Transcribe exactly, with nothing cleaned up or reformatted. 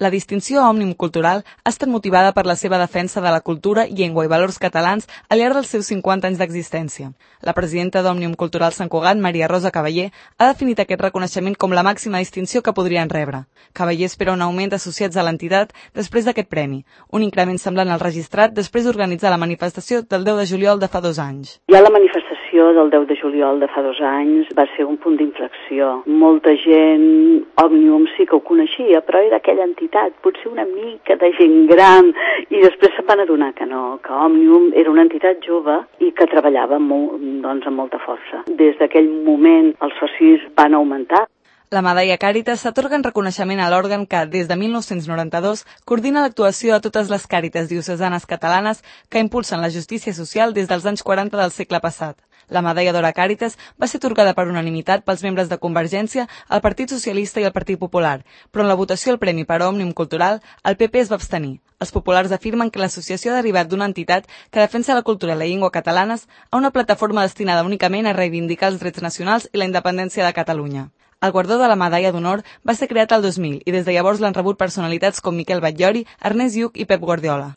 La distinció Òmnium Cultural ha estat motivada per la seva defensa de la cultura, llengua i valors catalans al llarg dels seus cinquanta anys d'existència. La presidenta d'Òmnium Cultural Sant Cugat, Maria Rosa Cavaller, ha definit aquest reconeixement com la màxima distinció que podrien rebre. Cavaller espera un augment d'associats a l'entitat després d'aquest premi, un increment semblant al registrat després d'organitzar la manifestació del deu de juliol de fa dos anys. Ja la manifestació del deu de juliol de fa dos anys va ser un punt d'inflexió. Molta gent, Òmnium sí que ho coneixia, però era aquella entitat, potser una mica de gent gran, i després se'n van adonar que no, que Òmnium era una entitat jove i que treballava molt, doncs, amb molta força. Des d'aquell moment els socis van augmentar. La medalla Càritas s'atorga en reconeixement a l'òrgan que, des de mil nou-cents noranta-dos, coordina l'actuació de totes les càritas diocesanes catalanes que impulsen la justícia social des dels anys quaranta del segle passat. La medalla d'or a Càritas va ser atorgada per unanimitat pels membres de Convergència, el Partit Socialista i el Partit Popular, però en la votació al Premi per Òmnium Cultural, el P P es va abstenir. Els populars afirmen que l'associació ha derivat d'una entitat que defensa la cultura i la llengua catalanes a una plataforma destinada únicament a reivindicar els drets nacionals i la independència de Catalunya. El guardó de la medalla d'honor va ser creat el dos mil i des de llavors l'han rebut personalitats com Miquel Batllori, Ernest Lluch i Pep Guardiola.